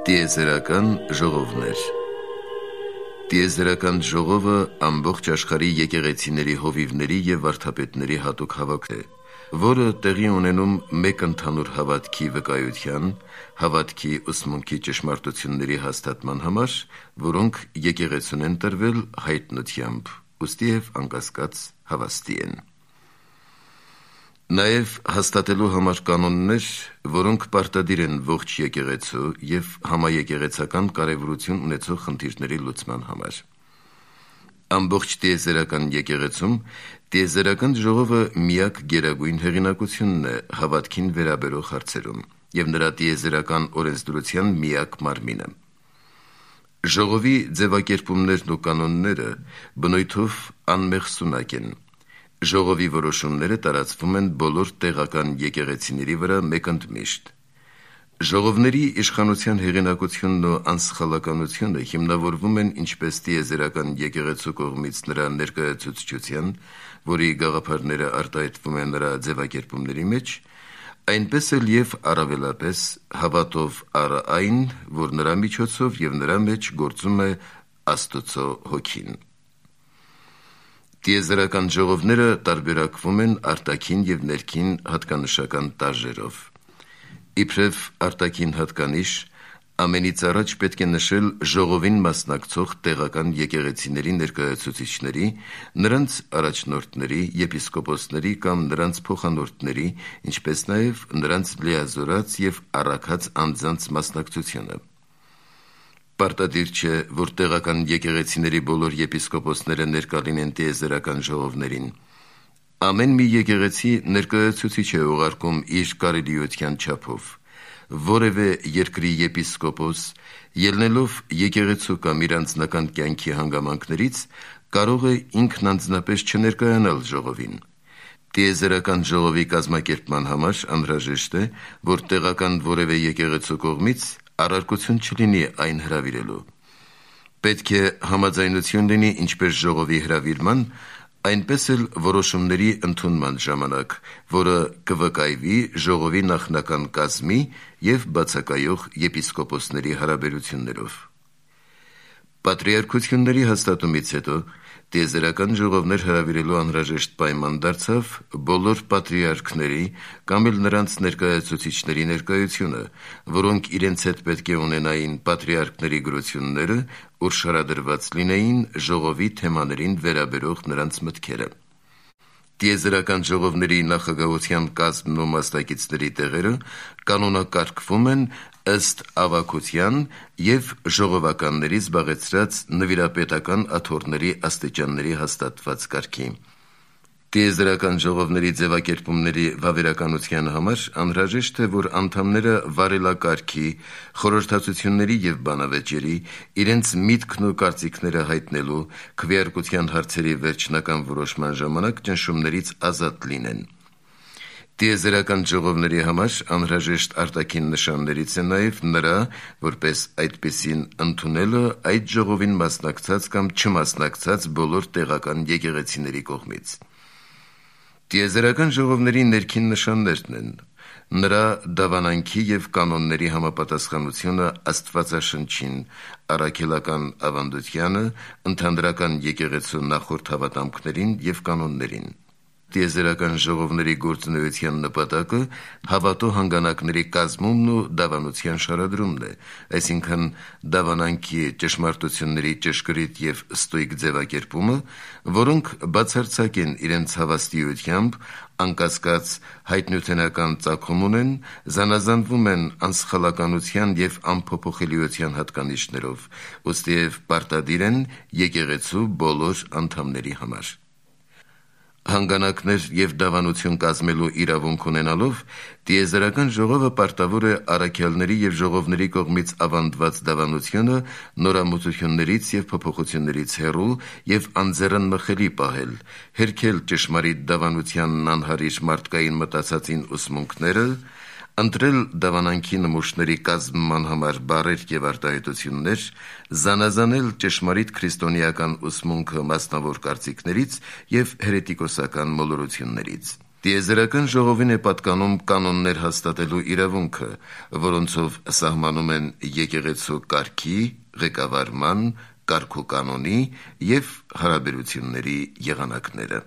Տիեզերական ժողովներ։ Տիեզերական ժողովը ամբողջ աշխարհի եկեղեցիների հովիվների եւ վարդապետների հատուկ հավաք է, որը տեղի ունենում մեկ ընդհանուր հավատքի վկայության, հավատքի ուսմունքի ճշմարտությունների հաստատման համար, որոնք եկեղեցուն են տրվել հայտնությամբ, ուստի եւ անկասկած հավաստի են։ Նաև հաստատելու համար կանոններ, որոնք պարտադիր են ողջ եկեղեցու եւ համաեկեղեցական կարեւորություն ունեցող խնդիրների լուծման համար։ Ամբողջ տիեզերական եկեղեցում տիեզերական ժողովը միակ գերագույն հեղինակությունն է հավատքին վերաբերող հարցերում եւ նրա տիեզերական օրենսդրության միակ մարմինը։ Ժողովի ձևակերպումներն ու կանոնները բնույթով անմեղսունակ են։ Ժողովի որոշումները տարածվում են բոլոր տեղական եկեղեցիների վրա մեկընդմիշտ։ Ժողովների իշխանության հեղինակությունն ու անսխալականությունը հիմնավորվում են ինչպես տիեզերական եկեղեցու կողմից նրա ներկայացուցչության, որի գաղափարները արտահայտվում են նրա ձևակերպումների մեջ, այնպես էլ եւ առավելապես հավատով առ այն, որ նրա միջոցով եւ նրա մեջ գործում է Աստծո հոգին։ Տիեզերական ժողովները տարբերակվում են արտաքին եւ ներքին հատկանշական տարրերով։ Իբրև արտաքին հատկանիշ, ամենից առաջ պետք է նշել ժողովին մասնակցող տեղական եկեղեցիների ներկայացուցիչների, նրանց առաջնորդների, եպիսկոպոսների կամ նրանց փոխանորդների, ինչպես նաեւ նրանց լիազորած եւ առաքած անձանց մասնակցությունը։ Պարտադիր չէ, որ տեղական եկեղեցիների բոլոր եպիսկոպոսները ներկա լինեն տիեզերական ժողովներին։ Ամեն մի եկեղեցի ներկայացուցիչ է ուղարկում իր կարելիության չափով։ Որևէ երկրի եպիսկոպոս, ելնելով եկեղեցու կամ իր անձնական կյանքի հանգամանքներից, կարող է ինքն անձնապես չներկայանալ ժողովին։ Տիեզերական ժողովի կազմակերպման համար անհրաժեշտ է, որ տեղական որևէ եկեղեցու կողմից առարկություն չլինի այն հրավիրելու։ Պետք է համաձայնություն լինի ինչպես ժողովի հրավիրման, այնպես էլ որոշումների ընդունման ժամանակ, որը կվկայվի ժողովի նախնական կազմի եւ բացակայող եպիսկոպոսների հարաբերություններով։ Պատրիարքությունների հաստատումից հետո տիեզերական ժողովներ հրավիրելու անհրաժեշտ պայման դարձավ բոլոր պատրիարքների կամ էլ նրանց ներկայացուցիչների ներկայությունը, որոնք իրենց հետ պետք է ունենային պատրիարքների գրությունները, ուր շարադրված լինեին ժողովի թեմաներին վերաբերող նրանց մտքերը։ Տիեզերական ժողովների նախագահության կազմն ու մասնակիցների տեղերը կանոնակարգվում են ըստ ավագության եւ ժողովականների զբաղեցրած նվիրապետական աթոռների աստիճանների հաստատված կարգի։ Տիեզերական ժողովների ձևակերպումների վավերականության համար անհրաժեշտ է, որ անդամները վարելակարգի, խորհրդածությունների եւ բանավեճերի, իրենց միտքն ու կարծիքները հայտնելու, քվեարկության հարցերի վերջնական որոշման ժամանակ ճնշումներից ազատ լինեն։ Տիեզերական ժողովների համար անհրաժեշտ արտաքին նշաններից է նաև նրա, որպես այդպիսին ընդունելը այդ ժողովին մասնակցած կամ չմասնակցած բոլոր տեղական եկեղեցիների կողմից։ Տիեզերական ժողովների ներքին նշաններն են նրա դավանանքի եւ կանոնների համապատասխանությունը Աստվածաշնչին, առաքելական ավանդությանը, ընդհանրական եկեղեցու նախորդ հավատամքներին եւ կանոններին։ Տիեզերական ժողովների գործունեության նպատակը հավատո հանգանակների կազմումն ու դավանության շարադրումն է, այսինքն դավանանքի ճշմարտությունների ճշգրիտ եւ ստույգ ձևակերպումը, որոնք բացարձակ են իրենց հավաստիությամբ, անկասկած հայտնութենական ծագում ունեն, զանազանվում են անսխալականության եւ անփոփոխելիության հատկանիշներով, ուստիև պարտադիր են եկեղեցու բոլոր անդամների համար։ Հանգանակներ եւ դավանություն կազմելու իրավունք ունենալով տիեզերական ժողովը պարտավոր է առաքյալների եւ ժողովների կողմից ավանդված դավանությունը նորամուծություններից եւ փոփոխություններից հեռու եւ անձեռնմխելի պահել, հերքել ճշմարիտ դավանությանն անհարիր մարդկային մտածածին ուսմունքները, ընտրել դավանանքի նմուշների կազմման համար բառեր եւ արտահայտություններ, զանազանել ճշմարիտ քրիստոնեական ուսմունքը մասնավոր կարծիքներից եւ հերետիկոսական մոլորություններից։ Տիեզերական ժողովին է պատկանում կանոններ հաստատելու իրավունքը, որոնցով սահմանում են եկեղեցու կարգի, ղեկավարման, կարգուկանոնի և հարաբերությունների եղանակները։